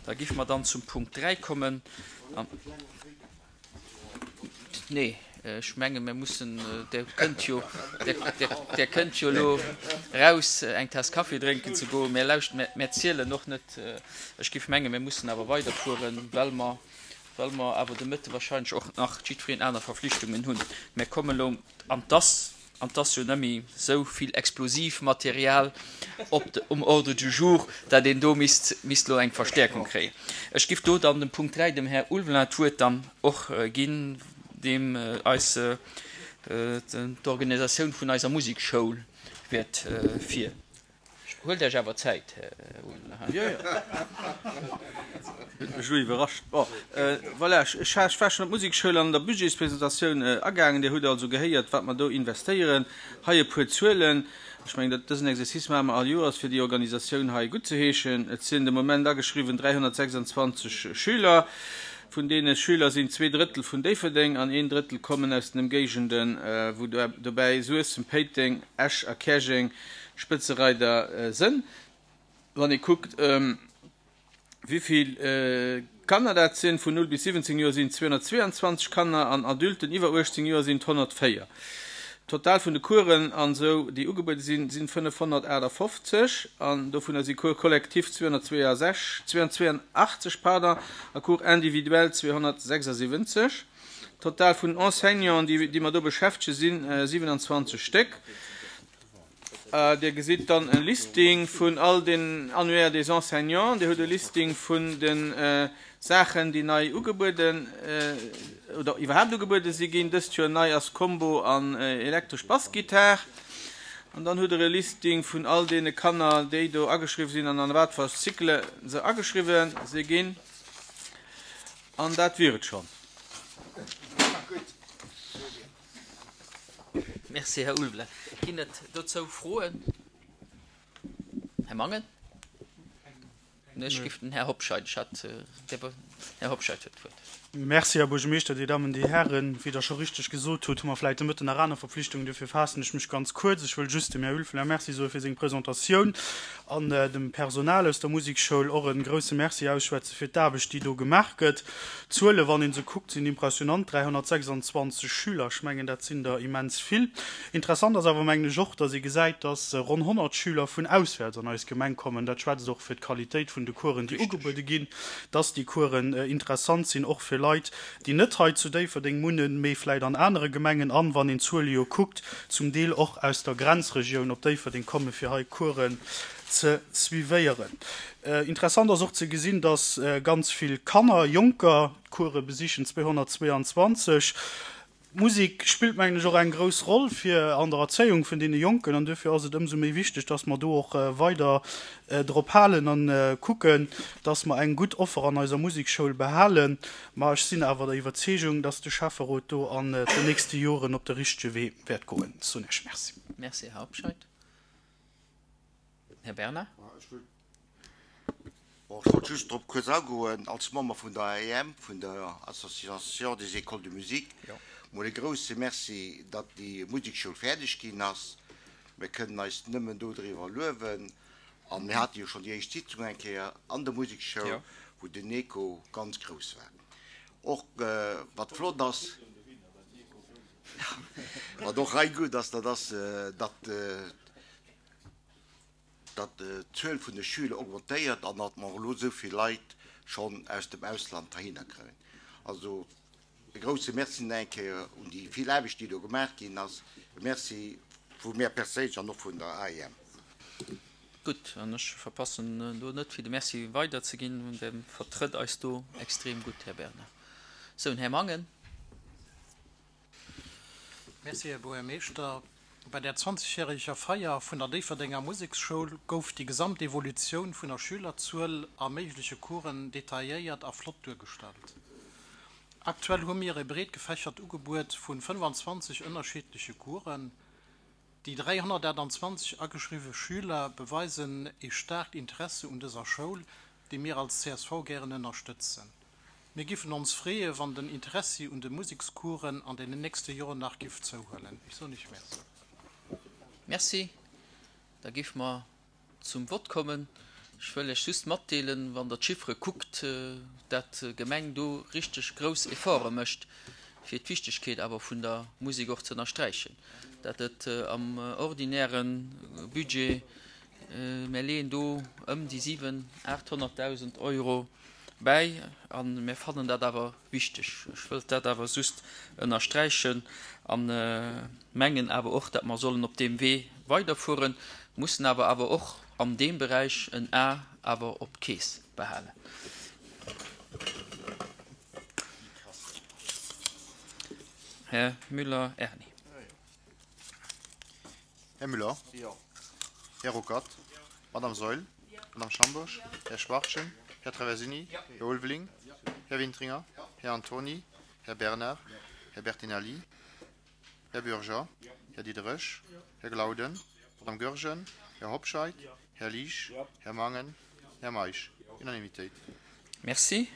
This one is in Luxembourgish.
Da géife mer dann zum Punkt 3 kommen. Nee, ech menge mir mussen, Der kënnt jo, Der kënnt jo elo raus eng Taass Kaffi drénken ze goen. Mir lauschten, mir zielen och net. Ech géif menge mir mussen awer weiderfueren, well mer, well mer awer de Mëtte wahrscheinlech och nach jiddwereen aner Verflichtungen hunn. Mir kommen elo an dass An 't ass jo nëmme sou vill Explosivmaterial op de, um Ordre du jour, dat een do misst, misst elo eng Verstäerkung kréien. Ech giff do dann dem Punkt 3, dem Här Ulveling, d'Wuert dann och ginn, deem eis d'Organisatioun vun eiser Musekschoul wäert vir. Huelt Iech awer Zäit, Här Ulveling. Jo, jo. Huet mech elo iwwerrascht. Bon, voilà, ech war schonn op d'Musekschoul an der Budgetspresentatioun agaangen. Dir hutt also gehéiert, wat mer do investéieren. Hei e puer Zuelen. Ech mengen, dat dësen Exercice maache mer all Joers, fir déi Organisatioun hei guttzeheeschen. Et sinn de Moment ageschriwwen 326 Schüler. Vun deene Schüler sinn zweedrëttel vun Déifferdeng an een Drëttel kommen aus den Ëmgéigenden, wou dobäi Suessem, Péiteng, Esch a Käerjeng Spëtzereider sënn. Wann ee kuckt, wéi vill Kanner dat sinn, vun 0 bis 17 Joer sinn et 222 Kanner an Adulten iwwer 18 Joer sinn et 104. Total vun de Coursen an esou, déi ugebuede sinn, sinn 558 an dovunner si Cours collectifs 262, 282, pardon, a Cours individuels 276. Total vun den Enseignanten, déi mer do beschäftege sinn 27 Stéck. Dir gesitt dann e Listing vun all den Annuaires des enseignants. Dir hutt e Listing vun de Saachen, déi nei ugebueden oder iwwerhaapt ugebuede si ginn. Dëst Joer nei ass Combo an elektresch Bassgittar. An dann hutt Der e Listing vun all deene Kanner, déi do ageschriwwen sinn an an wat fir Cycle se ageschriwwen si ginn. An dat wier et schonn. Merci, Här Ulveling. Ginn et dozou Froen? Här Mangen? Ech giff den Här Hobscheit, ech hat, Här Hobscheit huet d'Wuert. Merci, Här Buergermeeschter, Dir Dammen, Dir Hären. Wéi Der scho richteg gesot hutt, hu mer vläicht de Mëtten nach aner Verpflichtungen, duerfir faassen ech mech ganz kuerz. Ech wëll just dem Här Ulveling Merci soe fir seng Presentatioun an dem Personal aus der Musekschoul och e grouse Merci ausschwätze fir d'Aarbecht, déi do gemaach gëtt. D'Zuele, wann ee se kuckt, sinn impressionant, 326 Schüler, ech mengen, dat sinn der immens vill. Interessant ass awer, mengen ech, och, datt ee gesäit, datt ronn 100 Schüler vun auswäerts an eis Gemeng kommen. Dat schwätzt och fir d'Qualitéit vun de Coursen, déi ugebuede ginn, datt déi Coursen interessant sinn, och fir Leit, déi net hei zu Déifferdeng wunnen, mee vläicht an anere Gemengen an, wann een d'Zuele jo kuckt, zum Deel och aus der Grenzregioun op Déifferdeng kommen, fir hei Coursen ze suivéieren. Interessant ass och ze gesinn, dass ganz vill Kanner, Jonker d'Course besichen, 222. D'Musek spillt, mengen ech, och eng grouss Roll fir an der Erzéiung vun deene Jonken an duerfir ass et ëmsou méi wichteg, dass mer do och weider drop halen a kucken, dass mer eng gutt Offer an eiser Musekschoul behalen. Ma ech sinn awer der Iwwerzeegung, dass de Schäfferot do an den nächste Joren op de richtege Wee wäert goen. Soen Iech Merci. Merci, Här Hobscheit. Här Bernard. Bon, ech wollt just drop kuerz agoen, als Member vun der AEM, vun der Association des Écoles de Musique, mol e grouse Merci, datt déi Musekschoul fäerdeg ginn ass. Mir kënnen eis nëmmen do driwwer luewen. A mir hate jo schonn déi éischt Sitzung eng Kéier an der Musekschoul, wou den Echo ganz grouss war. Och wat flott ass, wat och hei gutt ass, dat ass, datt datt d'Zuel vun de Schüler augmentéiert an datt mer elo esou vill Leit schonn aus dem Ausland heihinner kréien. Also e grouse Merci nach eng Kéier un déi vill Aarbecht, déi do gemaach ginn ass. E Merci vu mär perséinlech an och vun der AEM. Gutt, an ech verpassen do net, fir de Merci weiderzeginn. Dir vertrëtt eis do extrem gutt, Här Bernard. Sou, den Här Mangen. Merci, Här Buergermeeschter. Bei der zwanzegjäreger Feier vun der Déifferdenger Museksschoul gouf déi gesamt Evolutioun vun der Schülerzuel a méigleche Coursen detailléiert a flott duergestallt. Aktuell hu mir e breet gefächert Ugebuet vun 25 ënnerschiddleche Coursen. Déi 328 ageschriwwe Schüler beweisen ee staarkt Interesse un dëser Schoul, déi mir als csv gären ënnerstëtzen. Mir giffen ons freeë wann den Interessi un de Musekscoursen an den nächste Joren nach giff zouhuelen. Ech soen Iech Merci. Merci. Da géife mer zum Vott kommen. Ech wëll lech just matdeelen, wann Der d'Chiffere kuckt, dat d'Gemeng do richteg grouss Efforte mécht, fir d'Wichtegkeet awer vun der Musek och ze ënnersträichen, dat et am ordinäre Budget, mär leeën do ëm déi 700.000, 800.000 Euro bäi a mär fannen dat awer wichteg. Ech wëllt dat awer just ënnersträichen a mengen awer och, dat mer sollen op deem Wee weiderfueren, mussen awer awer och an deem Beräich en A awer op d'Keess behalen. Här Müller Erni. Här Müller. Jo. Här Ruckert. Jo. Madame Saeul. Jo. Madame Schambourg. Jo. Här Schwachtgen. Här Traversini. Jo. Här Ulveling. Jo. Här Wintringer. Jo. Här Antony. Här Bernard. Jo. Här Bertinelli. Här Bürger. Jo. Här Diderich. Jo. Här Glauden. Jo. Madame Goergen. Jo. Här Hobscheit. Jo. Här Liesch. Jo. Här Mangen. Jo. Här Meisch. Jo. Unanimitéit. Merci.